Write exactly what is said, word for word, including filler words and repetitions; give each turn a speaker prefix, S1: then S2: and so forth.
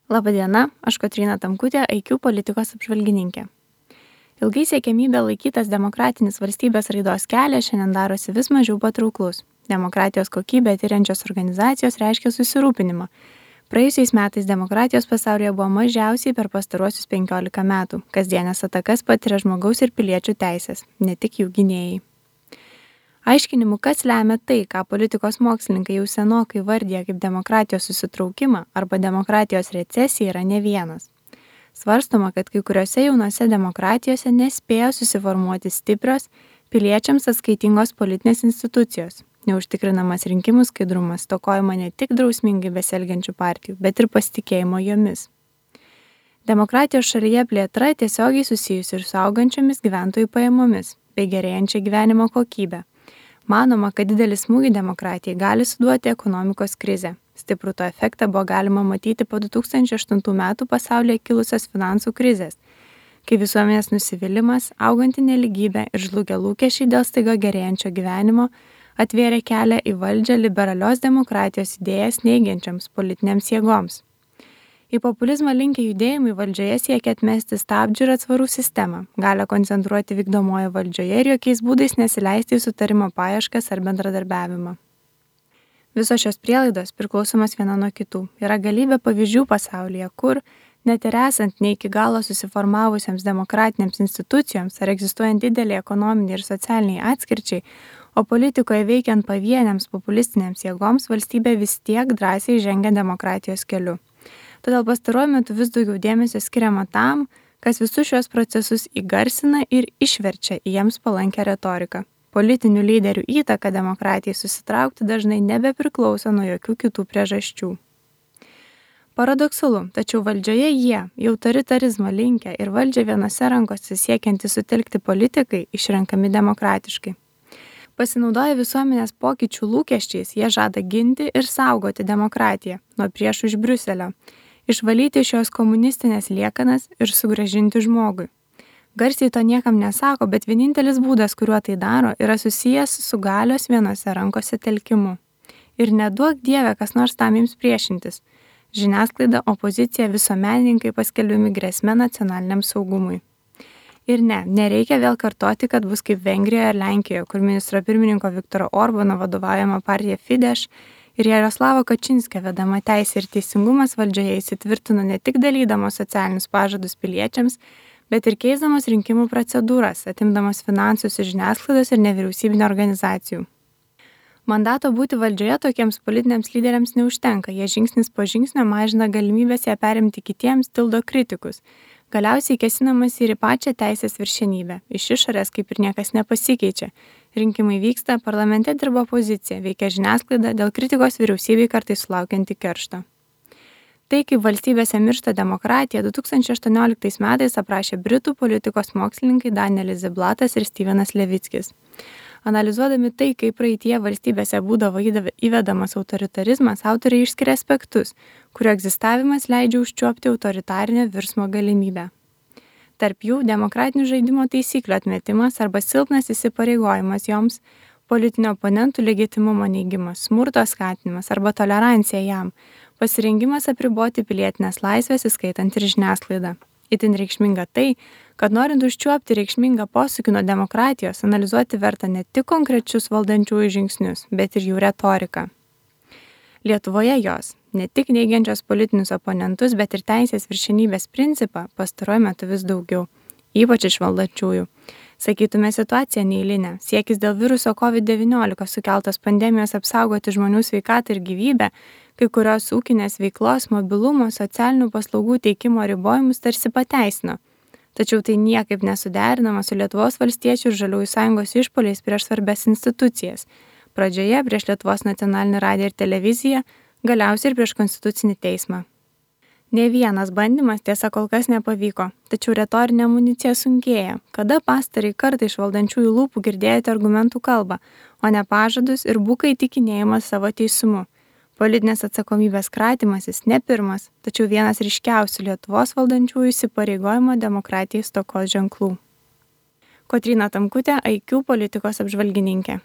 S1: Labadiena, aš Kotryna Tamkutė, I Q politikos apžvalgininkė. Ilgai siekiamybė laikytas demokratinis valstybės raidos kelias šiandien darosi vis mažiau patrauklus. Demokratijos kokybę tyriančios organizacijos reiškia susirūpinimą. Praėjusiais metais demokratijos pasaulyje buvo mažiausiai per pastaruosius penkiolika metų. Kasdienės atakas patiria žmogaus ir piliečių teisės, ne tik jų gynėjai. Aiškinimų, kas lemia tai, ką politikos mokslininkai jau senokai vardija kaip demokratijos susitraukimą arba demokratijos recesiją, yra ne vienas. Svarstoma, kad kai kuriuose jaunose demokratijose nespėjo susiformuoti stiprios, piliečiams atskaitingos politinės institucijos. Neužtikrinamas rinkimų skaidrumas, stokojama ne tik drausmingai besielgiančių partijų, bet ir pasitikėjimo jomis. Demokratijos šalyje plėtra tiesiogiai susijusi ir su augančiomis gyventojų pajamomis bei gerėjančia gyvenimo kokybė. Manoma, kad didelį smūgį demokratijai gali suduoti ekonomikos krizė. Stiprų to efektą buvo galima matyti po du tūkstančiai aštuntų metų pasaulyje kilusios finansų krizės, kai visuomenės nusivylimas, auganti neligybė ir žlugę lūkesčiai dėl staiga gerėjančio gyvenimo atvėrė kelią į valdžią liberalios demokratijos idėjas neigiančiams politinėms jėgoms. Į populizmą linkę judėjimai valdžioje siekia atmesti stabdžių ir atsvarų sistemą, gali koncentruoti vykdomoje valdžioje ir jokiais būdais nesileisti į sutarimo paieškas ar bendradarbiavimą. Visos šios prielaidos priklausomos viena nuo kitų. Yra galybė pavyzdžių pasaulyje, kur, net ir esant ne iki galo susiformavusiems demokratinėms institucijoms ar egzistuojant didelį ekonominį ir socialiniai atskirčiai, o politikoje veikiant pavieniams populistinėms jėgoms, valstybė vis tiek drąsiai žengia demokratijos keliu. Todėl pastaruoju metu vis daugiau dėmesio skiriama tam, kas visus šios procesus įgarsina ir išverčia į jiems palankę retoriką. Politinių lyderių įtaka demokratijai susitraukti dažnai nebepriklauso nuo jokių kitų priežasčių. Paradoksalu, tačiau valdžioje jie, į autoritarizmą linkę ir valdžią vienose rankose siekiantys sutelkti politikai, išrenkami demokratiškai. Pasinaudoję visuomenės pokyčių lūkesčiais, jie žada ginti ir saugoti demokratiją nuo priešų iš Briuselio, išvalyti šios komunistinės liekanas ir sugrąžinti žmogui. Garsiai to niekam nesako, bet vienintelis būdas, kuriuo tai daro, yra susijęs su galios vienose rankose telkimu. Ir neduok Dieve, kas nors tam jums priešintis. Žiniasklaida, opozicija, visuomenininkai paskelbiami grėsme nacionaliniam saugumui. Ir ne, nereikia vėl kartoti, kad bus kaip Vengrijoje ir Lenkijoje, kur ministro pirmininko Viktoro Orbano vadovaujama partija Fidesz ir Jaroslavo Kačinskio vedama Teisė ir teisingumas valdžioje įsitvirtino ne tik dalydamos socialinius pažadus piliečiams, bet ir keisdamos rinkimų procedūras, atimdamos finansus iš žiniasklaidos ir nevyriausybinio organizacijų. Mandato būti valdžioje tokiems politiniams lyderiams neužtenka, jie žingsnis po žingsnio mažina galimybės ją perimti kitiems, tildo kritikus. Galiausiai kėsinamas ir į pačią teisės viršenybę. Iš išorės kaip ir niekas nepasikeičia. Rinkimai vyksta, parlamente dirba opozicija, veikia žiniasklaida, dėl kritikos vyriausybei kartais sulaukianti keršto. Tai, kaip valstybėse miršta demokratija, du tūkstančiai aštuonioliktais metais aprašė britų politikos mokslininkai Danielis Ziblatas ir Stevenas Levickis. Analizuodami tai, kaip praeitie valstybėse būdavo įvedamas autoritarizmas, autoriai išskiria aspektus, kurio egzistavimas leidžia užčiuopti autoritarinę virsmo galimybę. Tarp jų demokratinių žaidimo taisyklių atmetimas arba silpnas įsipareigojimas joms, politinio oponentų legitimumo neigimas, smurto skatinimas arba tolerancija jam, pasirengimas apriboti pilietinės laisvės, įskaitant ir žiniasklaidą. Itin reikšminga tai, kad norint užčiuopti reikšmingą posūkį nuo demokratijos, analizuoti verta ne tik konkrečius valdančiųjų žingsnius, bet ir jų retoriką. Lietuvoje jos, ne tik neigiančios politinius oponentus, bet ir teisės viršenybės principą pastaruoju metu vis daugiau, ypač iš valdančiųjų. Sakytume, situacija neeilinė. Siekis dėl viruso COVID devyniolika sukeltos pandemijos apsaugoti žmonių sveikatą ir gyvybę, kai kurios ūkinės veiklos, mobilumo, socialinių paslaugų teikimo ribojimus tarsi pateisino. Tačiau tai niekaip nesuderinama su Lietuvos valstiečių ir Žaliųjų sąjungos išpuoliais prieš svarbias institucijas. Pradžioje prieš Lietuvos nacionalinį radiją ir televiziją, galiausiai ir prieš konstitucinį teismą. Ne vienas bandymas tiesa kol kas nepavyko, tačiau retorinė amunicija sunkėja. Kada pastarąjį kartą iš valdančiųjų lūpų girdėjote argumentų kalbą, o ne pažadus ir buką įtikinėjimą savo teisumu. Politinės atsakomybės kratymasis ne pirmas, tačiau vienas ryškiausių Lietuvos valdančiųjų įsipareigojimo demokratijai stokos ženklų. Kotryna Tamkutė, I Q politikos apžvalgininkė.